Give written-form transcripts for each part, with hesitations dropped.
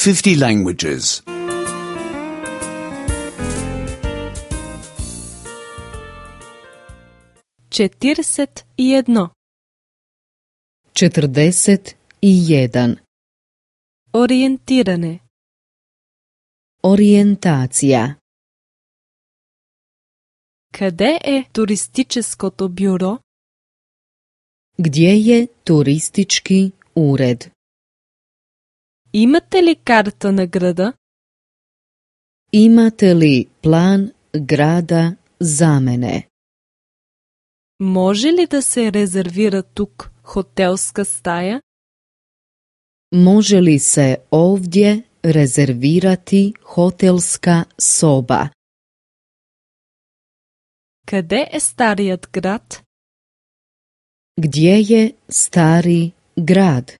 50 languages. 41. 41. Orijentirane. Orijentacija. Къде е туристическото бюро? Gdje je turistički ured? Имате ли карта на града? Imate li plan grada za mene? Може ли да се резервира тук хотелска стая? Može li se ovdje rezervirati hotelska soba? Къде е старият град? Gdje je stari grad?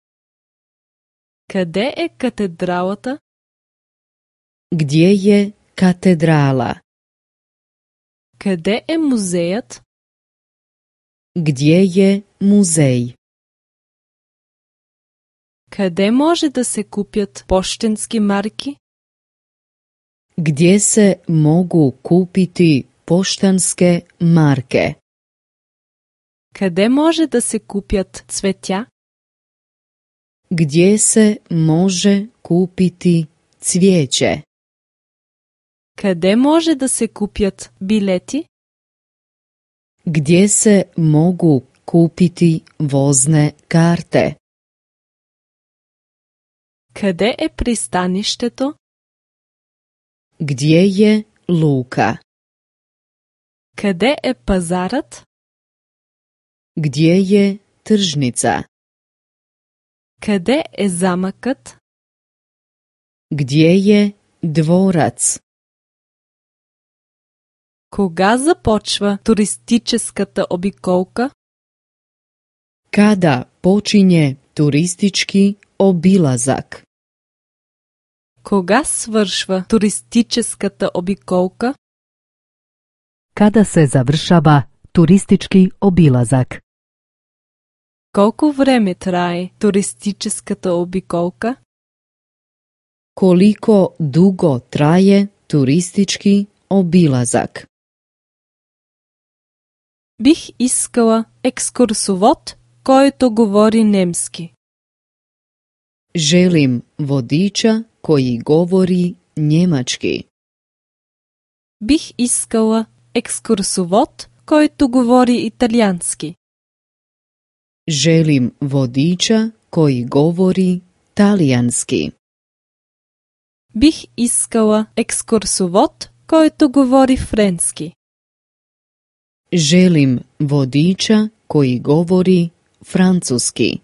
Къде е катедралата? Gdje je katedrala? Къде е музеят? Gdje je muzej? Къде може да се купят пощенски марки? Gdje se mogu kupiti poštanske marke? Къде може да се купят цветя? Gdje se može kupiti cvijeće? Къде може да се купят билети? Gdje se mogu kupiti vozne karte? Къде е пристанището? Gdje je luka? Къде е пазарът? Gdje je tržnica? Къде е замъкът? Gdje je dvorac? Кога започва туристическата обиколка? Kada počinje turistički obilazak? Кога свършва туристическата обиколка? Kada se završava turistički obilazak? Колко време трае туристическата обиколка? Koliko dugo traje turistički obilazak? Бих искала екскурсовод, който говори немски. Želim vodiča koji govori njemački. Бих искала екскурсовод, който говори италиански. Želim vodiča koji govori talijanski. Бих искала екскурсовод, който говори френски. Želim vodiča koji govori francuski.